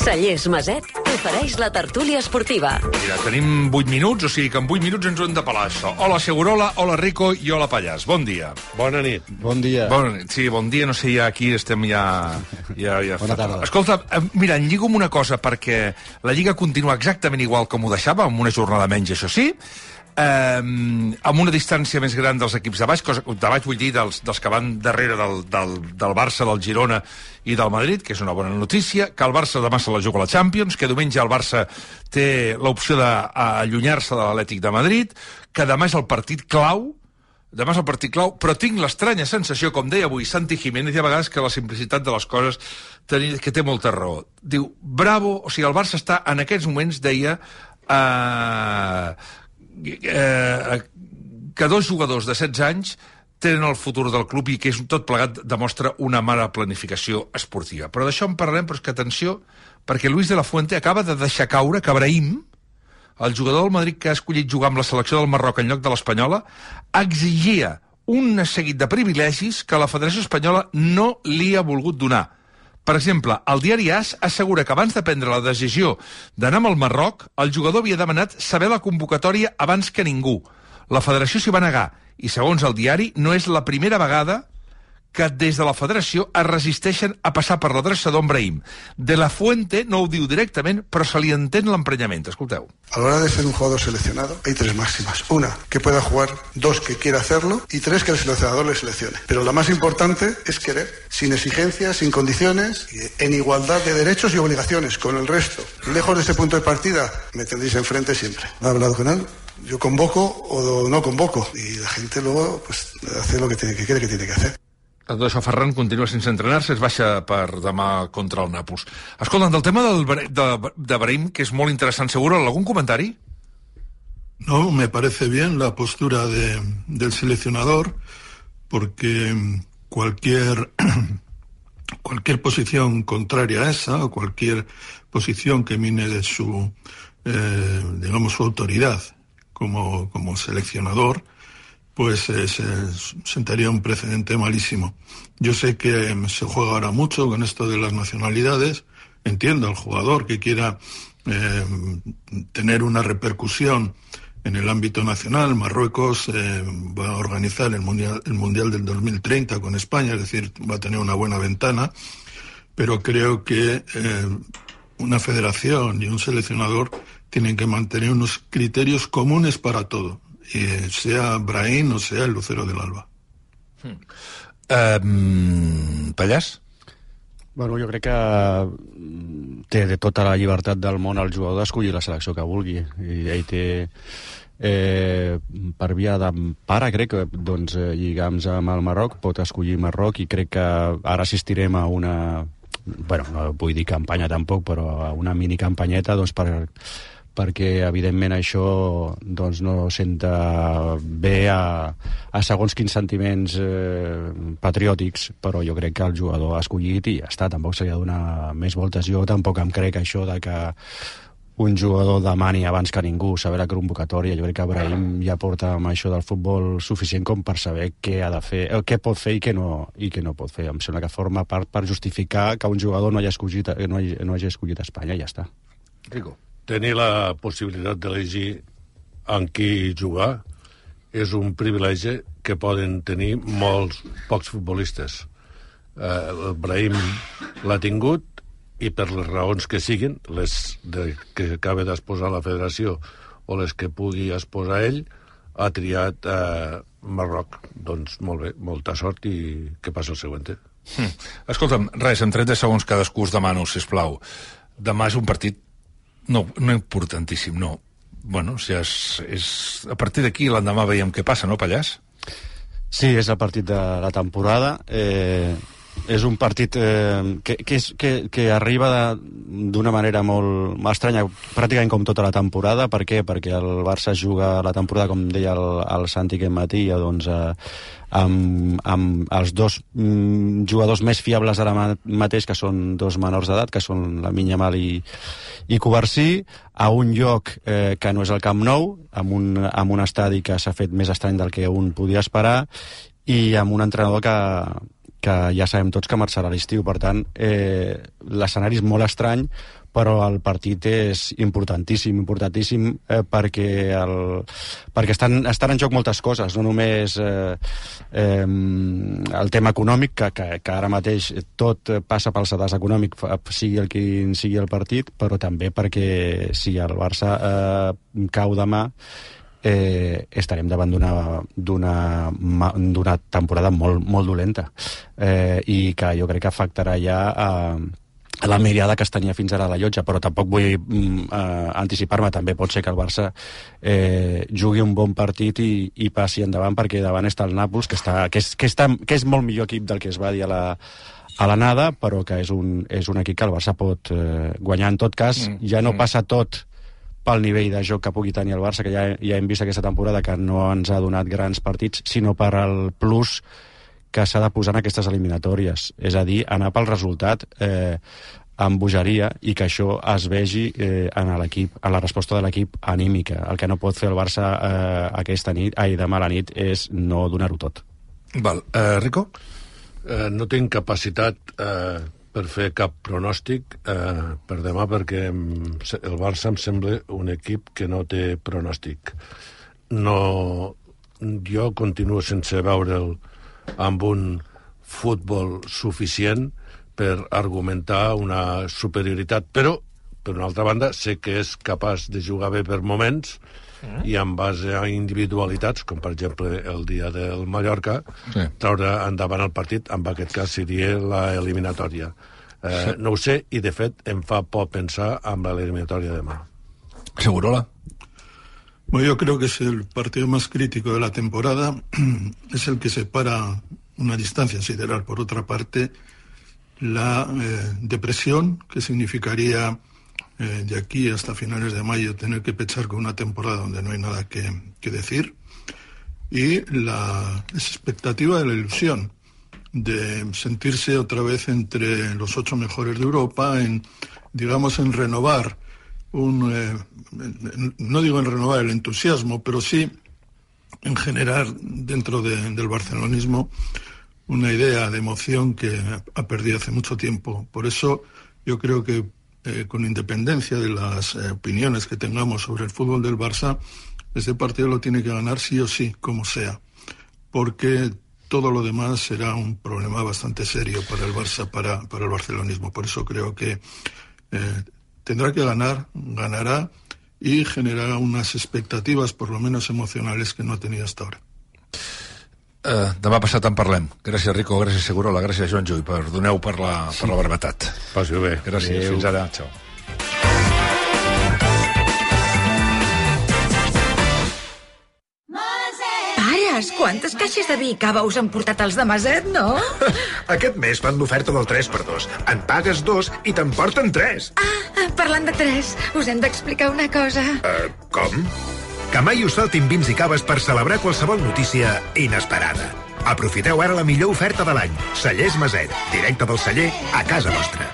Cellers Maset ofereix la tertúlia esportiva. Mira, tenim 8 minuts, o sigui que en 8 minuts ens ho hem de pelar, això. Hola, Segurola, hola, Rico, i hola, Pallàs. Bon dia. Bona nit. Bon dia. Bona nit. Sí, bon dia, no sé, ja aquí estem ja... Bona tarda. Escolta, mira, en lligo amb una cosa, perquè la Lliga continua exactament igual com ho deixava, amb una jornada menys, això sí, amb una distància més gran dels equips de baix, de baix vull dir dels que van darrere del Barça, del Girona i del Madrid, que és una bona notícia, que el Barça demà se la juga a la Champions, que diumenge el Barça té l'opció d'allunyar-se de l'Atlètic de Madrid, que demà és el partit clau, però tinc l'estranya sensació, com deia avui Santi Jiménez, i a vegades que la simplicitat de les coses que té molta raó. Diu, bravo, o sigui, el Barça està en aquests moments, deia, que dos jugadors de 16 anys tenen el futur del club i que és tot plegat demostra una mala planificació esportiva. Però d'això en parlarem, però és que atenció, perquè Luis de la Fuente acaba de deixar caure que Brahim, el jugador del Madrid que ha escollit jugar amb la selecció del Marroc en lloc de l'Espanyola, exigia un seguit de privilegis que la Federació Espanyola no li ha volgut donar. Per exemple, el diari AS assegura que abans de prendre la decisió d'anar amb el Marroc, el jugador havia demanat saber la convocatòria abans que ningú. La federació s'hi va negar i, segons el diari, no és la primera vegada que des de la federació es resisteixen a passar per l'adreçador en Brahim. De la Fuente no ho diu directament, però se li entén l'emprenyament. Escolteu. A la hora de ser un jugador seleccionado hay 3 máximas. 1, que pueda jugar. 2, que quiera hacerlo. Y 3, que el seleccionador le seleccione. Pero la más importante es querer, sin exigencias, sin condiciones, en igualdad de derechos y obligaciones con el resto. Lejos de ese punto de partida, me tendréis enfrente siempre. ¿Ha hablado con él? Yo convoco o no convoco. Y la gente luego pues hace lo que cree que tiene que hacer. Tot això, Ferran continua sense entrenar-se, es baixa per demà contra el Nàpols. Escolta, del tema de Brahim, que és molt interessant, seguro, ¿algún comentario? No, me parece bien la postura del seleccionador, porque cualquier posición contraria a esa, o cualquier posición que mine de su, digamos, su autoridad como seleccionador, pues sentaría un precedente malísimo. Yo sé que se juega ahora mucho con esto de las nacionalidades. Entiendo al jugador que quiera tener una repercusión en el ámbito nacional. Marruecos va a organizar el Mundial del 2030 con España, es decir, va a tener una buena ventana, pero creo que una federación y un seleccionador tienen que mantener unos criterios comunes para todo, sea Brahim o sea el Lucero del Alba. Pallàs? Bueno, jo crec que té de tota la llibertat del món el jugador d'escollir la selecció que vulgui, i ell té per via d'empara, crec que doncs, lligams amb el Marroc, pot escollir Marroc, i crec que ara assistirem a una, bueno, no vull dir campanya tampoc, però a una mini campanyeta doncs, perquè evidentment això doncs, no senta bé a segons quins sentiments patriòtics, però jo crec que el jugador ha escollit i ja està, tampoc s'hi ha de donar més voltes. Jo tampoc em crec això de que un jugador demani abans que ningú saber la convocatòria. Jo crec que Brahim ja porta amb això del futbol suficient com per saber què ha de fer, què pot fer i què no pot fer. Em sembla que forma part per justificar que un jugador no hagi escollit Espanya i ja està. Rico. Tenir la possibilitat d'elegir amb qui jugar és un privilegi que poden tenir molts pocs futbolistes. El Brahim l'ha tingut i per les raons que siguin, les que acaba d'exposar la federació o les que pugui exposar ell, ha triat Marroc. Doncs molt bé, molta sort i que passi el següent. Escolta'm, res, en 30 segons cadascú us demano, sisplau. Demà és un partit no importantíssim, no. Bueno, si és a partir d'aquí l'endemà veiem què passa, no, Pallàs? Sí, és el partit de la temporada. És un partit que arriba d'una manera molt estranya, pràcticament com tota la temporada. Per què? Perquè el Barça juga la temporada, com deia el Santi aquest matí, doncs, amb els dos jugadors més fiables ara mateix, que són dos menors d'edat, que són Lamine Yamal i Cubarsí, a un lloc que no és el Camp Nou, amb un estadi que s'ha fet més estrany del que un podia esperar, i amb un entrenador que que ja sabem tots que marxarà a l'estiu. Per tant, l'escenari és molt estrany, però el partit és importantíssim, perquè estan en joc moltes coses, no només el tema econòmic, que ara mateix tot passa pel sedàs econòmic, sigui el quin sigui el partit, però també perquè si el Barça cau demà, estarem davant d'una temporada molt dolenta, i que jo crec que afectarà ja a la mirada que es tenia fins ara a la llotja, però tampoc vull anticipar-me. També pot ser que el Barça jugui un bon partit i passi endavant, perquè davant està el Nàpols, que és molt millor equip del que es va dir a l'anada, però que és un equip que el Barça pot guanyar. En tot cas, ja no passa tot pel nivell de joc que pugui tenir el Barça, que ja hem vist aquesta temporada que no ens ha donat grans partits, sinó per el plus que s'ha de posar en aquestes eliminatòries. És a dir, anar pel resultat amb bogeria, i que això es vegi en l'equip, en la resposta de l'equip anímica. El que no pot fer el Barça demà a la nit és no donar-ho tot. Val. Rico? No tinc capacitat per fer cap pronòstic per demà, perquè el Barça em sembla un equip que no té pronòstic. Jo continuo sense veure'l amb un futbol suficient per argumentar una superioritat, però, per una altra banda, sé que és capaç de jugar bé per moments i en base a individualitats, com per exemple el dia del Mallorca, treure endavant el partit, en aquest cas seria l'eliminatòria. No ho sé, i de fet em fa por pensar en l'eliminatòria de demà. Segurola. Bueno, yo creo que es el partido más crítico de la temporada, es el que separa una distancia sideral. Por otra parte, la depresión, que significaría de aquí hasta finales de mayo tener que pechar con una temporada donde no hay nada que decir, y la expectativa de la ilusión de sentirse otra vez entre los 8 mejores de Europa, en renovar no digo en renovar el entusiasmo, pero sí en generar dentro del barcelonismo una idea de emoción que ha perdido hace mucho tiempo. Por eso yo creo que con independencia de las opiniones que tengamos sobre el fútbol del Barça, este partido lo tiene que ganar sí o sí, como sea, porque todo lo demás será un problema bastante serio para el Barça, para el barcelonismo. Por eso creo que tendrá que ganar, ganará, y generarà unes expectatives, por lo menos emocionales, que no ha tenido hasta ahora. Demà passat en parlem. Gràcies, Rico, gràcies, Segurola, gràcies, Joan Llull, perdoneu per la brevetat. Passi-ho bé. Gràcies, fins ara. Ciao. Pares, quantes caixes de vi i cava us han portat els de Maset, no? Aquest mes fan l'oferta del 3x2. En pagues 2 i te'n porten 3. Parlant de 3, us hem d'explicar una cosa. Com? Que mai us faltin vins i caves per celebrar qualsevol notícia inesperada. Aprofiteu ara la millor oferta de l'any. Cellers Maset, directe del celler a casa vostra.